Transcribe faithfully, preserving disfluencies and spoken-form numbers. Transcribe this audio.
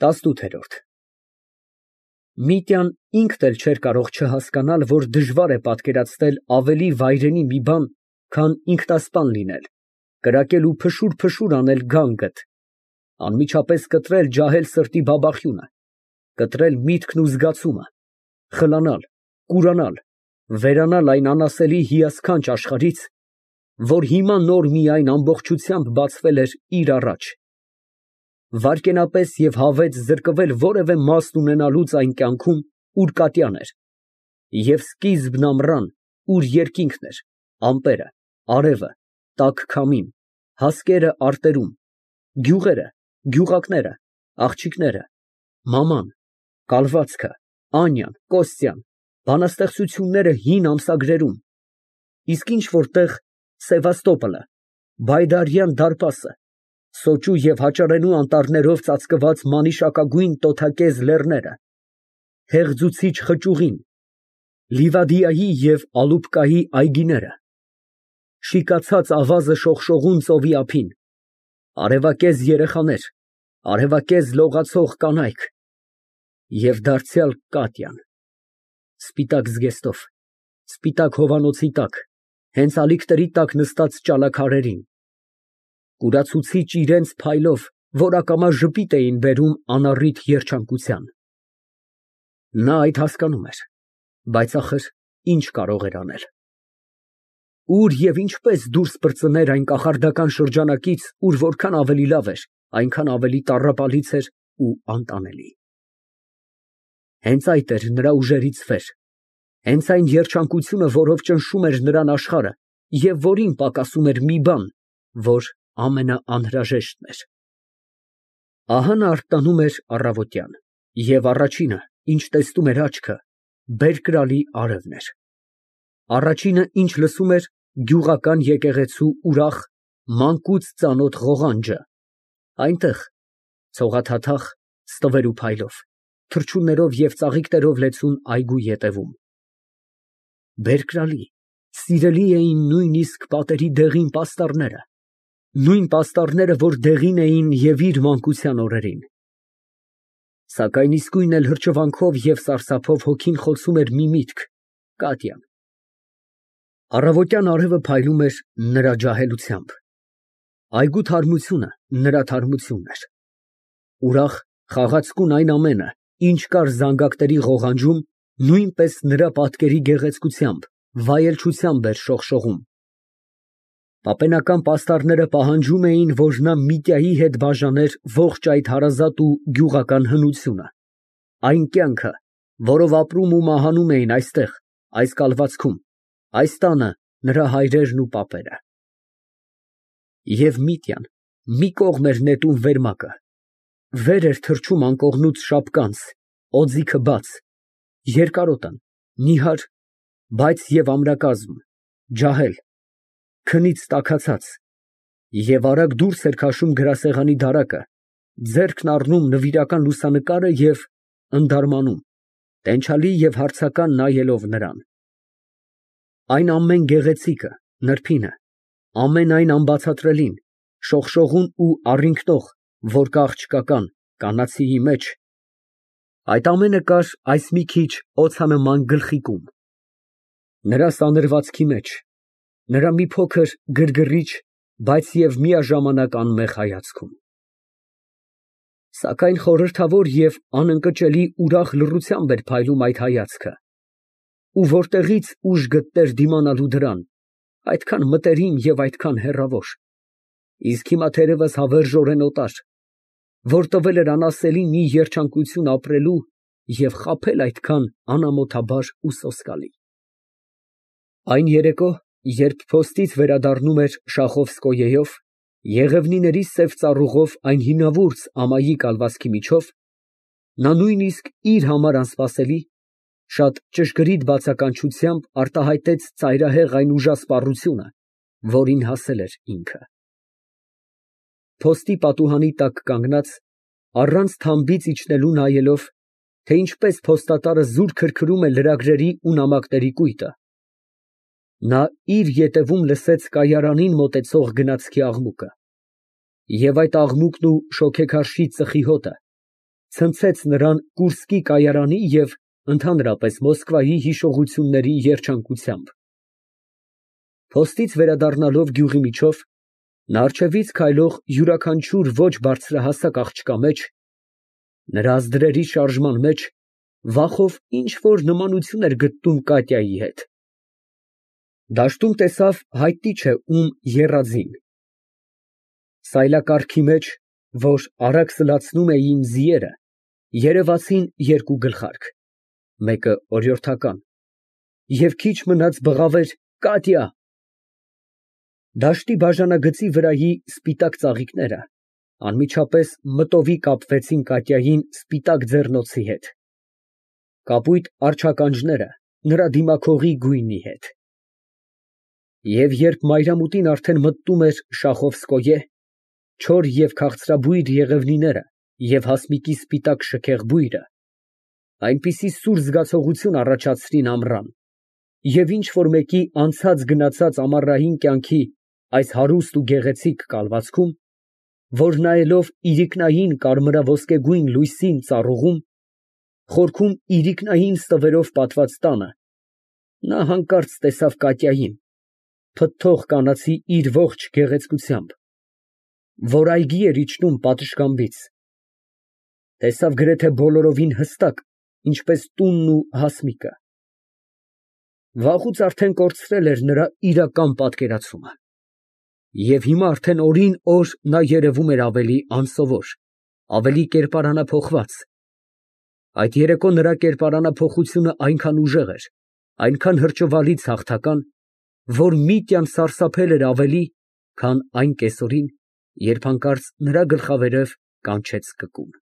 ՏԱՍՆՈՒԹԵՐՈՐԴ Միտյան ինքն էլ չէր կարող չհասկանալ, որ դժվար է պատկերացնել ավելի վայրենի մի բան, քան ինքնասպան լինել, կրակել ու փշուր֊փշուր անել գանգդ, անմիջապես կտրել ջահել սրտի բաբախյունը, կտրել միտքն ու զգացումը, խլանալ, կուրանալ, վերանալ այն անասելի հիասքանչ աշխարհից, որ հիմա նոր միայն ամբողջությամբ բացվել էր իր առաջ, վայրկենապես և հավեց զրկվել որևէ մասն ունենալուց այն կյանքում, ուր կատյան էր, և սկիզբն ամռան, ուր երկինքն էր, ամպերը, արևը, տաք քամին, հասկերը արտերում, գյուղերը, գյուղակները, աղջիկները, մաման, կալվածքը, Անյան, Կոստյան, բանաստեղծությունները հին ամսագրերում, իսկ ինչ որ տեղ Սևաստոպոլը, Բայդարյան դարպասը, սոճու և հաճարենու անտառներով ծածկված մանիշակագույն տոթակեզ լեռները, հեղձուցիչ խճուղին, Լիվադիայի և Ալուբկայի այգիները, շիկացած ավազը շողշողուն ծովի ափին, արևակեզ երեխաներ, արևակեզ լողացող կանայք և դարձյալ Կատյան, սպիտակ զգեստով, սպիտակ հովանոցի տակ, հենց ալիքների տակ նստած ճալաքարերին, կուրացուցիչ իրանց փայլով, որ ակամա ժպիտ էին բերում անառիթ երջանկության։ Նա այդ հասկանում էր, բայց ախր ինչ կարող էր անել։ Ուր և ինչպես դուրս պրծներ այն կախարդական շրջանակից, ուր որքան ավելի լավ էր, այնքան ավելի տառապալից էր ու անտանելի։ Հենց այդ էր նրա ուժերից վեր, հենց այն երջանկությունը, որով ճնշում էր նրան աշխարհը և որին պակասում էր մի բան, որ ամենաանհրաժեշտն էր։ Ահա նա արթնանում էր առավոտյան, և առաջինը, ինչ տեսնում էր աչքը, Բերկրալի արևն էր, առաջինը, ինչ լսում էր, գյուղական եկեղեցու ուրախ, մանկուց ծանոթ ղողանջը, այնտեղ, ցողաթաթախ, ստվեր ու փայլով, թռչուններով և ծաղիկներով լեցուն այգու ետևում։ Բերկրալի, սիրելի էին նույնիսկ պատերի դեղին պաստառները, նույն պաստառները, որ դեղին էին և իր մանկության օրերին։ Սակայն իսկույն էլ հրճվանքով և սարսափով հոգին խոցում էր մի միտք՝ Կատյան։ Առավոտյան արևը փայլում էր նրա ջահելությամբ, այգու թարմությունը նրա թարմությունն էր, ուրախ, խաղացկուն այն ամենը, ինչ կար զանգակների ղողանջում, նույնպես նրա պատկերի գեղեցկությամբ, վայելչությամբ էր շողշողում։ Պապենական պաստառները պահանջում էին, որ նա Միտյայի հետ բաժաներ ողջ այդ հարազատ ու գյուղական հնությունը, այն կյանքը, որով ապրում ու մահանում էին այստեղ, այս կալվածքում, այս տանը նրա հայրերն ու պապերը։ Եվ Միտյան մի կողմ էր նետում վերմակը, վեր էր թռչում անկողնուց շապկանց, օձիքը բաց, երկարոտն, նիհար, բայց և ամրակազմ, ջահել, քնից տաքացած, և արագ դուրս էր քաշում գրասեղանի դարակը, ձեռքն առնում նվիրական լուսանկարը և ընդարմանում, տենչալի և հարցական նայելով նրան։ Այն ամեն գեղեցիկը, նրբինը, ամեն այն անբացատրելին, շողշողուն ու առինգնող, որ կա աղջկական, կանացիի մեջ, այդ ամենը կար այս մի քիչ օձանման գլխիկում, նրա սանրվածքի մեջ, նրա մի փոքր գրգռիչ, բայց և միաժամանակ անմեղ հայացքում։ Սակայն խորհրդավոր և անընկճելի ուրախ լռությամբ էր փայլում այդ հայացքը, ու որտեղից ուժ գտներ դիմանալու դրան, այդքան մտերիմ և այդքան հեռավոր, իսկ հիմա թերևս հավերժորեն օտար, որ տվել էր անասելի մի երջանկություն ապրելու և խաբել այդքան անամոթաբար ու սոսկալի։ Այն երեկո, երբ փոստից վերադառնում էր Շախովսկոյեով, եղևնիների սև ծառուղով այն հինավուրց ամայի կալվածքի միջով, նա նույնիսկ իր համար անսպասելի, շատ ճշգրիտ բացականչությամբ արտահայտեց ծայրահեղ այն ուժասպառությունը, որին հասել էր ինքը։ Փոստի պատուհանի տակ կանգնած, առանց թամբից իջնելու նայելով, թե ինչպես փոստատարը զուր քրքրում է լրագրերի ու նամակների կույտը, նա իր ետևում լսեց կայարանին մոտեցող գնացքի աղմուկը, և այդ աղմուկն ու շոգեքարշի ծխի հոտը ցնցեց նրան Կուրսկի կայարանի և ընդհանրապես Մոսկվայի հիշողությունների երջանկությամբ։ Փոստից վերադառնալով գյուղի միջով, նա առջևից քայլող յուրաքանչյուր ոչ բարձրահասակ աղջկա մեջ, նրա ազդրերի շարժման մեջ, վախով ինչ֊որ նմանություն էր գտնում Կատյայի հետ։ Դաշտում տեսավ հայտնի չէ ում եռաձին, սայլակառքի մեջ, որ արագ սլացնում էին ձիերը, երևացին երկու գլխարկ, մեկը օրիորդական, և քիչ մնաց բղավեր «Կատյա»։ Դաշտի բաժանագծի վրայի սպիտակ ծաղիկները անմիջապես մտովի կապվեցին Կատյային սպիտակ ձեռնոցի հետ, կապույտ առջականջները նրա դիմաքողի գույնի հետ։ Եվ երբ մայրամուտին արդեն մտնում էր Շախովսկոյե, չոր և քաղցրաբույր եղևնիները և հասմիկի սպիտակ շքեղ բույրը այնպիսի սուր զգացողություն առաջացրին ամռան, և ինչ֊որ մեկի անցած գնացած ամառային կյանքի այս հարուստ ու գեղեցիկ կալվածքում, որ նայելով իրիկնային կարմրաոսկեգույն լույսին ծառուղում, խորքում իրիկնային ստվերով պատված տանը, նա հանկարծ տեսավ Կատյային, փթթող կանացի իր ողջ գեղեցկությամբ, որ այգի էր իջնում պատշգամբից, տեսավ գրեթե բոլորովին հստակ, ինչպես տունն ու հասմիկը։ Վաղուց արդեն կորցրել էր նրա իրական պատկերացումը, և հիմա արդեն օրին֊օր նա երևում էր ավելի անսովոր, ավելի կերպարանափոխված։ Այդ երեկո նրա կերպարանափոխությունը այնքան ուժեղ էր, այնքան հրճվալից հաղթական, որ միտյան սարսափել էր ավելի, քան այն կեսօրին, երբ հանկարծ նրա գլխավերև կանչեց կկուն։